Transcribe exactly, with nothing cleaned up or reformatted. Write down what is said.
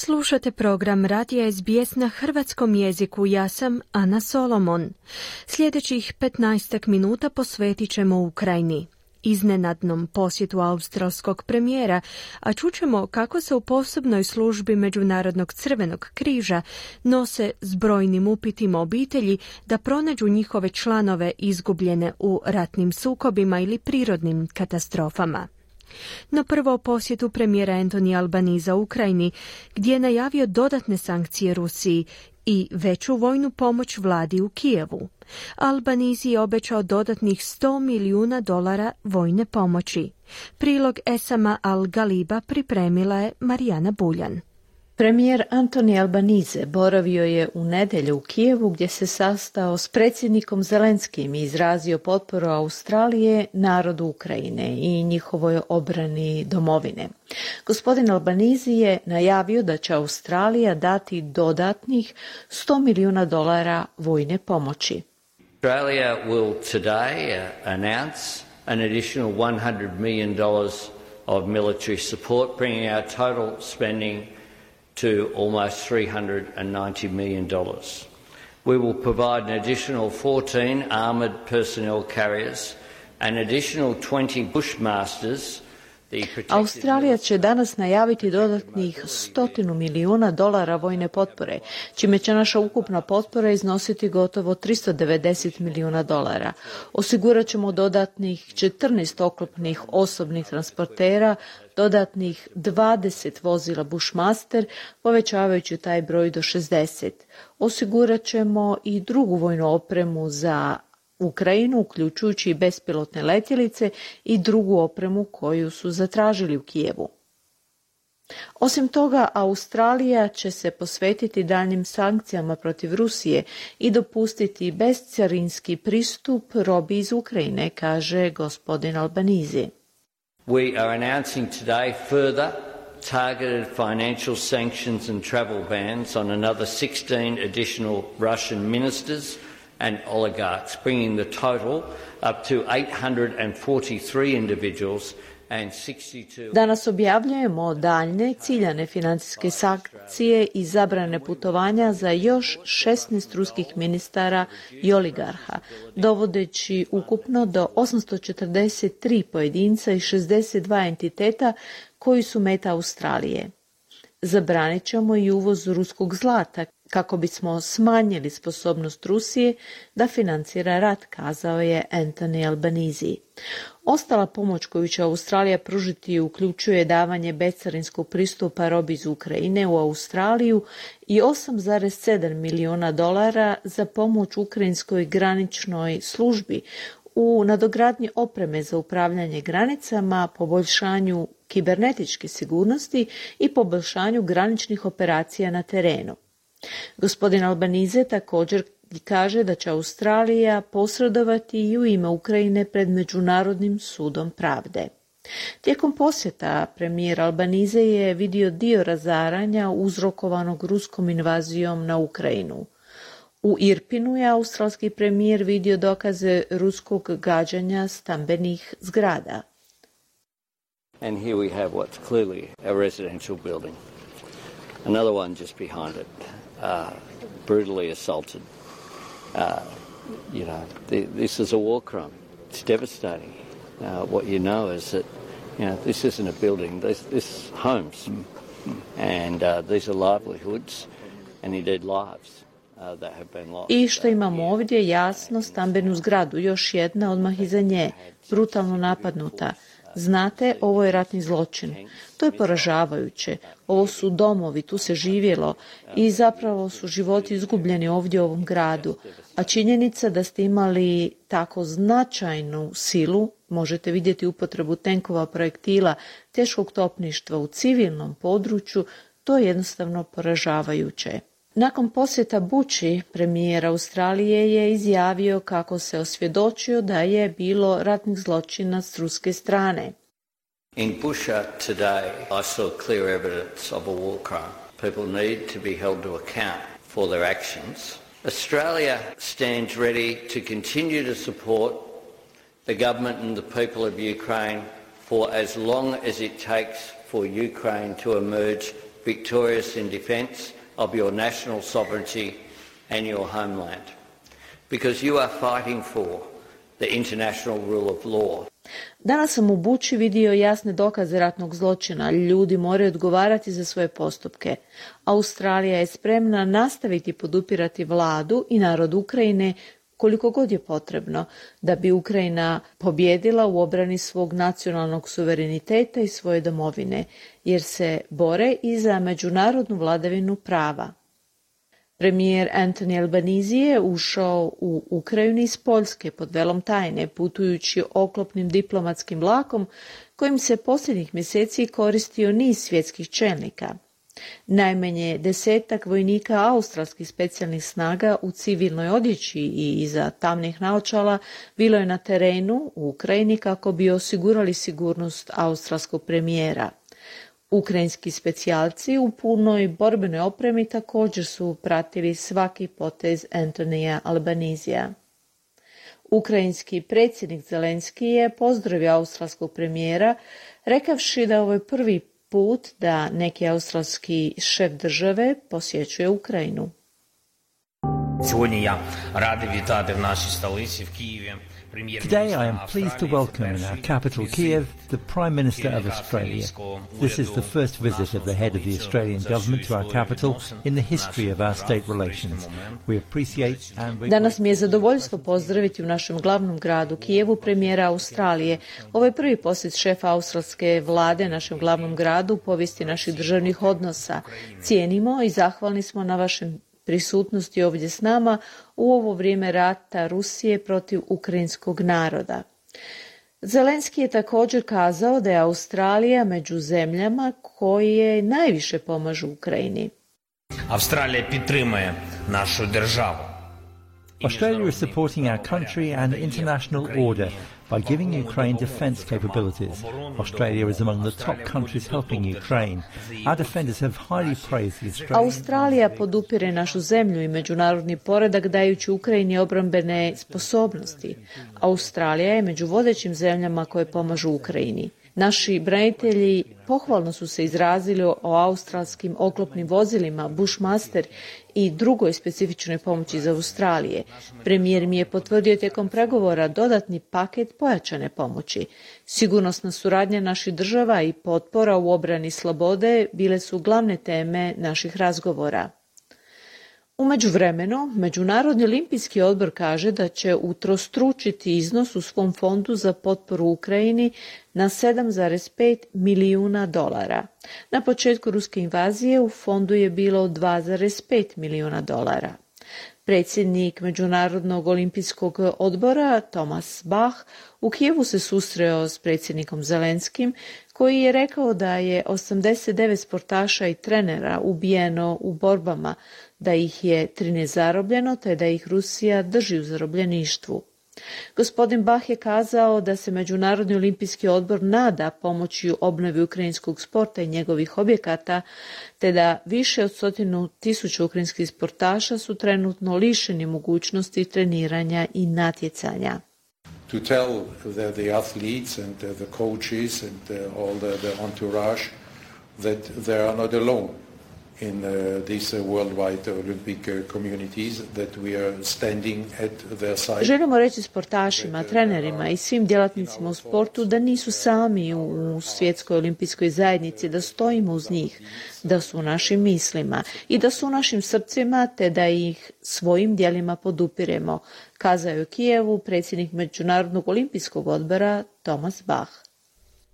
Slušate program Radija es be es na hrvatskom jeziku. Ja sam Ana Solomon. Sljedećih petnaestak minuta posvetit ćemo Ukrajini, iznenadnom posjetu australskog premijera, a čućemo kako se u posebnoj službi Međunarodnog crvenog križa nose s brojnim upitima obitelji da pronađu njihove članove izgubljene u ratnim sukobima ili prirodnim katastrofama. No prvo o posjetu premijera Anthony Albanese Ukrajini, gdje je najavio dodatne sankcije Rusiji i veću vojnu pomoć vladi u Kijevu. Albanese je obećao dodatnih sto milijuna dolara vojne pomoći. Prilog Esama Al-Galiba pripremila je Marijana Buljan. Premijer Anthony Albanese boravio je u nedjelju u Kijevu gdje se sastao s predsjednikom Zelenskim i izrazio potporu Australije narodu Ukrajine i njihovoj obrani domovine. Gospodin Albanese je najavio da će Australija dati dodatnih sto milijuna dolara vojne pomoći. Australia will today uh, announce an additional one hundred million dollars of military support, bringing our total spending to almost three hundred ninety million dollars. We will provide an additional fourteen armoured personnel carriers, an additional twenty Bushmasters. Australija će danas najaviti dodatnih stotinu milijuna dolara vojne potpore, čime će naša ukupna potpora iznositi gotovo tristo devedeset milijuna dolara. Osigurat ćemo dodatnih četrnaest oklopnih osobnih transportera, dodatnih dvadeset vozila Bushmaster, povećavajući taj broj do šezdeset. Osigurat ćemo i drugu vojnu opremu za Ukrajinu, uključujući i bespilotne letjelice i drugu opremu koju su zatražili u Kijevu. Osim toga, Australija će se posvetiti daljnjim sankcijama protiv Rusije i dopustiti bezcarinski pristup robi iz Ukrajine, kaže gospodin Albanese. We are announcing today further targeted financial sanctions and travel bans on another sixteen additional Russian ministers and oligarchs, bringing the total up to eight hundred forty-three individuals and sixty-two. Danas objavljujemo daljne ciljane financijske sankcije i zabrane putovanja za još šesnaest ruskih ministara i oligarha, dovodeći ukupno do osamsto četrdeset tri pojedinca i šezdeset dva entiteta koji su meta Australije. Zabranit ćemo i uvoz ruskog zlata kako bismo smanjili sposobnost Rusije da financira rat, kazao je Anthony Albanese. Ostala pomoć koju će Australija pružiti uključuje davanje bezcarinskog pristupa robi iz Ukrajine u Australiju i osam zarez sedam milijuna dolara za pomoć ukrajinskoj graničnoj službi u nadogradnji opreme za upravljanje granicama, poboljšanju kibernetičke sigurnosti i poboljšanju graničnih operacija na terenu. Gospodin Albanese također kaže da će Australija posredovati i u ime Ukrajine pred Međunarodnim sudom pravde. Tijekom posjeta premijer Albanese je vidio dio razaranja uzrokovanog ruskom invazijom na Ukrajinu. U Irpinu je australski premijer vidio dokaze ruskog gađanja stambenih zgrada. And here we have what's clearly a residential building. Another one just behind it, uh, brutally assaulted. Uh, you know, th- this is a war crime. It's devastating. Uh, what you know is that, you know, this isn't a building. This, this is homes, and uh, these are livelihoods, and indeed lives. I što imamo ovdje, jasno, stambenu zgradu, još jedna odmah iza nje, brutalno napadnuta. Znate, ovo je ratni zločin. To je poražavajuće. Ovo su domovi, tu se živjelo i zapravo su životi izgubljeni ovdje u ovom gradu. A činjenica da ste imali tako značajnu silu, možete vidjeti upotrebu tenkova, projektila, teškog topništva u civilnom području, to je jednostavno poražavajuće. Nakon posjeta Buči, premijer Australije je izjavio kako se osvjedočio da je bilo ratnih zločina s ruske strane. In Busha today, I saw clear evidence of a war crime. People need to be held to account for their actions. Australia stands ready to continue to support the government and the people of Ukraine for as long as it takes for Ukraine to emerge victorious in defence of your national sovereignty and your homeland. Because you are fighting for the international rule of law. Danas sam u Buči vidio jasne dokaze ratnog zločina. Ljudi moraju odgovarati za svoje postupke. Australija je spremna nastaviti podupirati vladu i narod Ukrajine koliko god je potrebno da bi Ukrajina pobjedila u obrani svog nacionalnog suvereniteta i svoje domovine, jer se bore i za međunarodnu vladavinu prava. Premijer Anthony Albanese je ušao u Ukrajinu iz Poljske pod velom tajne, putujući oklopnim diplomatskim vlakom kojim se posljednjih mjeseci koristio niz svjetskih čelnika. Najmanje desetak vojnika australskih specijalnih snaga u civilnoj odjeći i iza tamnih naočala bilo je na terenu u Ukrajini kako bi osigurali sigurnost australskog premijera. Ukrajinski specijalci u punoj borbenoj opremi također su pratili svaki potez Antonija Albanesea. Ukrajinski predsjednik Zelenski je pozdravio australskog premijera, rekavši da ovo je prvi put da neki australski šef države posjećuje Ukrajinu. Today I am pleased to welcome in our capital Kiev the Prime Minister of Australia. This is the first visit of the head of the Australian government to our capital in the history of our state relations. We appreciate and we... Danas mi je zadovoljstvo pozdraviti u našem glavnom gradu Kijevu premijera Australije. Ovo je prvi posjet šefa australske vlade našem glavnom gradu u povijesti naših državnih odnosa. Cijenimo i zahvalni smo na vašem prisutnosti ovdje s nama u ovo vrijeme rata Rusije protiv ukrajinskog naroda. Zelenski je također kazao da je Australija među zemljama koje najviše pomažu Ukrajini. Australija підтримує našu državu. Australia is supporting our country and international order by giving Ukraine defence capabilities. Australia is among the top countries helping Ukraine. Our defenders have highly praised the Australian... Australija podupire našu zemlju i međunarodni poredak dajući Ukrajini obrambene sposobnosti. Australija je među vodećim zemljama koje pomažu Ukrajini. Naši branitelji pohvalno su se izrazili o australskim oklopnim vozilima Bushmaster i drugoj specifičnoj pomoći za Australije. Premijer mi je potvrdio tijekom pregovora dodatni paket pojačane pomoći. Sigurnosna suradnja naših država i potpora u obrani slobode bile su glavne teme naših razgovora. U međuvremenu, Međunarodni olimpijski odbor kaže da će utrostručiti iznos u svom fondu za potporu Ukrajini na sedam zarez pet milijuna dolara. Na početku ruske invazije u fondu je bilo dva zarez pet milijuna dolara. Predsjednik Međunarodnog olimpijskog odbora Thomas Bach u Kijevu se susreo s predsjednikom Zelenskim, koji je rekao da je osamdeset devet sportaša i trenera ubijeno u borbama, da ih je trinaest zarobljeno te da ih Rusija drži u zarobljeništvu. Gospodin Bach je kazao da se Međunarodni olimpijski odbor nada pomoći obnovi ukrajinskog sporta i njegovih objekata, te da više od stotinu tisuća ukrajinskih sportaša su trenutno lišeni mogućnosti treniranja i natjecanja. To tell the, the athletes and the, the coaches and the, all the, the entourage that they are not alone in uh, these uh, worldwide Olympic uh, communities, that we are standing at their side. Želimo reći sportašima, trenerima i svim djelatnicima u sportu da nisu sami u svjetskoj olimpijskoj zajednici, da stojimo uz njih, da su u našim mislima i da su u našim srcima, te da ih svojim djelima podupiremo, kazao je u Kijevu predsjednik Međunarodnog olimpijskog odbora Thomas Bach.